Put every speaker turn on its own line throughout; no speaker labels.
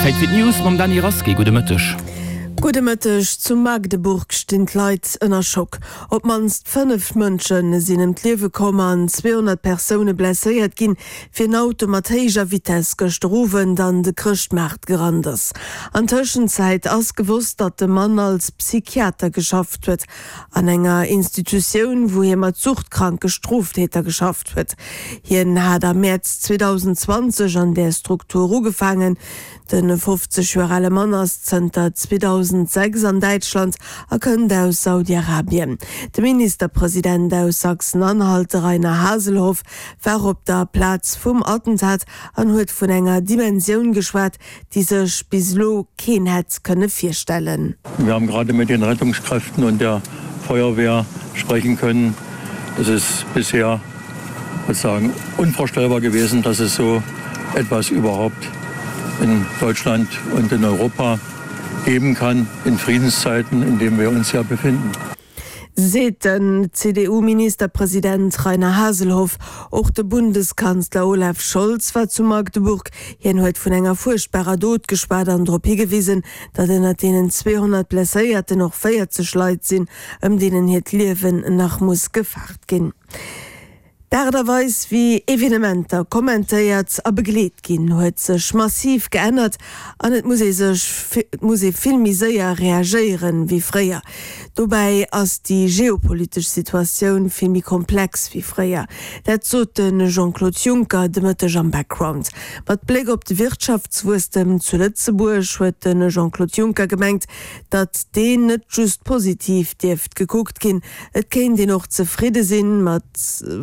Zäit fir d'News mam Dany Rasqué. Gudde Mëtteg.
Gudde Mëtteg. Zu Magdeburg stinn d'Leit ënner Schock. Op d'mannst 5 Mënsche sinn ëm d'Liewe komm an 200 Persoune blesséiert ginn, wéi en Auto mat héijer Vitess gëschter Owend an de Chrëschtmaart gerannt ass. An Tëschenzäit ass gewosst, datt de Mann als Psychiater geschafft huet an enger Institutioun, wou hie mat suchtkranke Stroftäter geschafft huet. Hien hat am Mäerz 2020 an där Struktur ugefaangen. De 50 Joer ale Mann ass zënter 2006 an Däitschland a kënnt aus Saudi-Arabien. De Ministerpresident aus Sachsen-Anhalt, de Rainer Haseloff, war op der Plaz vum Attentat an huet vun enger Dimensioun geschwat, déi sech bis elo keen hätt kënne virstellen.
Wir haben gerade mit den Rettungskräften und der Feuerwehr sprechen können. Es ist bisher sozusagen unvorstellbar gewesen, dass es so etwas überhaupt in Deutschland und in Europa geben kann in Friedenszeiten, in denen wir uns ja befinden.
Seet den CDU-Ministerpresident Rainer Haseloff. Och de Bundeskanzler Olaf Scholz war zu Magdeburg. Hien huet vun enger fuerchtbarer Dot geschwat an drop higewisen, datt ënnert deenen 200 Blesséierten och 40 Leit sinn, ëm deenen hiert Liewen nach muss gefaart ginn. D'Aart a Weis, wéi Evenementer kommentéiert a begleet ginn, huet sech massiv geännert an et muss ee sech, et muss ee vill méi séier reagéieren, wéi fréier. Dobäi ass déi geopolitesch Situatioun vill méi komplex wéi fréier. Dat sot de Jean-Claude Juncker de Mëtteg am Background. Mat Bléck op de Wirtschaftswuesstem zu Lëtzebuerg huet de Jean-Claude Juncker gemengt, datt deen net just positiv dierft gekuckt ginn, Et kéint een och zefridde sinn, mat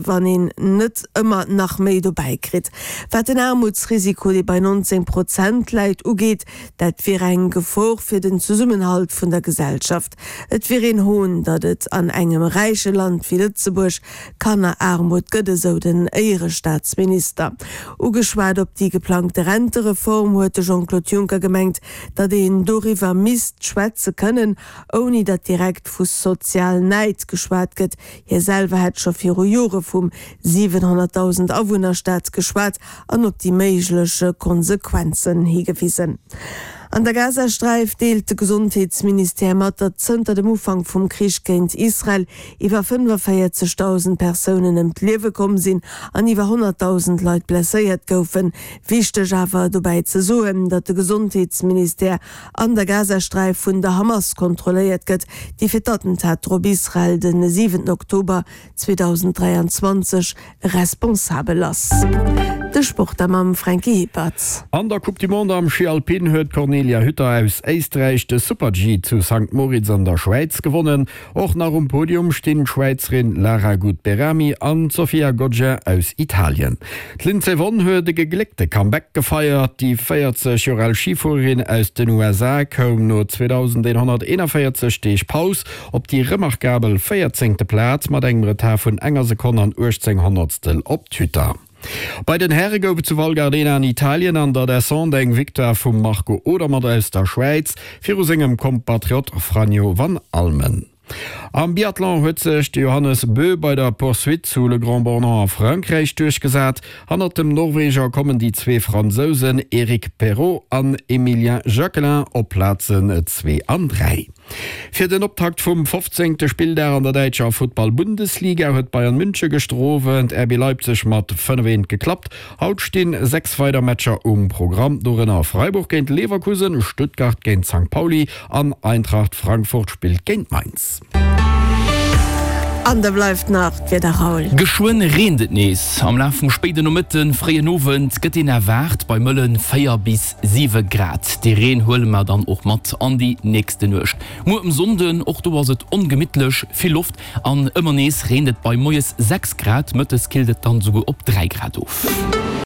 wann een net ëmmer nach méi dobäi kritt. Wat den Aarmutsrisiko, dee bei 19 Prozent läit, ugeet, dat wier eng Gefor fir den Zesummenhalt vun der Gesellschaft. Et wier een Hohn, datt et an engem räiche Land wéi Lëtzebuerg Kanneraarmut gëtt, esou den Éierestaatsminister. Ugeschwat op déi geplangte Rentereform huet de Jean-Claude Juncker gemengt, datt een doriwwer misst schwätze kënnen, ouni datt direkt vu Sozialnäid geschwat gëtt. Hie selwer hätt scho viru Jore vum 700.000 Awunnerstaat geschwat an op déi méiglech Konsequenzen higewisen. An der Gazasträif deelt de Gesondheetsministère mat, datt zënter dem Ufank vum Krich géint Israel iwwer 45.000 Persounen ëm d'Liewe komm sinn an iwwer 100.000 Leit blesséiert goufen. Wichteg awer dobäi ze soen, datt de Gesondheetsministère an der Gazasträif vun der Hamas kontrolléiert gëtt, déi fir d'Attentater op Israel de 7 Oktober 2023 responsabel ass. De Sport da mam Franky Hippert.
An der Coupe du Monde am Schi Alpin huet d'Cornelia Hütter aus Éisträich de Super-G zu Sankt Moritz an der Schwäiz gewonnen. Och nach um Podium stinn d'Schwäizerin Lara Gut-Behrami an d'Sofia Goggia aus Italien. D'Lindsey Vonn huet e gegléckte Comeback gefeiert. Déi 40 Joer al Schifuererin aus den USA koum no 2.141 Deeg Paus op déi remarkabel véierzéngte Plaz mat engem Retard vun enger Sekonn an 18 Honnertstel op d'Hütter. Bei den Häre gouf et zu Val Gardena an Italien an der Descente eng Victoire vum Marco Odermatt aus der Schwäiz viru sengem Kompatriot Franjo van Almen. Am Biathlon huet sech de Johannes Bö bei der Poursuite zu Le Grand-Bornand a Frankräich duerchgesat. Hannert dem Norweger kommen déi zwee Fransousen Eric Perrot an Emilien Jacquelin op Plazen 2 an 3. Fir den Optakt vum 15. Spilldag an der däitscher Futtball-Bundesliga huet Bayern München gëschter Owend RB Leipzig mat 5, 1 geklappt. Haut stinn 6 weider Matcher um Programm, dorënner Freiburg géint Leverkusen, Stuttgart géint Sankt Pauli an Eintracht Frankfurt spillt géint Mainz.
An da bleift nach d'Wieder, Raoul.
Geschwënn reent et nees. Am Laf vum spéiden Nomëtten, fréien Owend gëtt een erwaart bei mëllen 4 bis 7 Grad. Dee Reen huele mer dann och mat an déi nächste Nuecht. Muer um Sonnden, och do ass et ongemittlech, vill Loft an ëmmer nees reent et bei moies 6 Grad, mëttes killt et dann esouguer op 3 Grad of.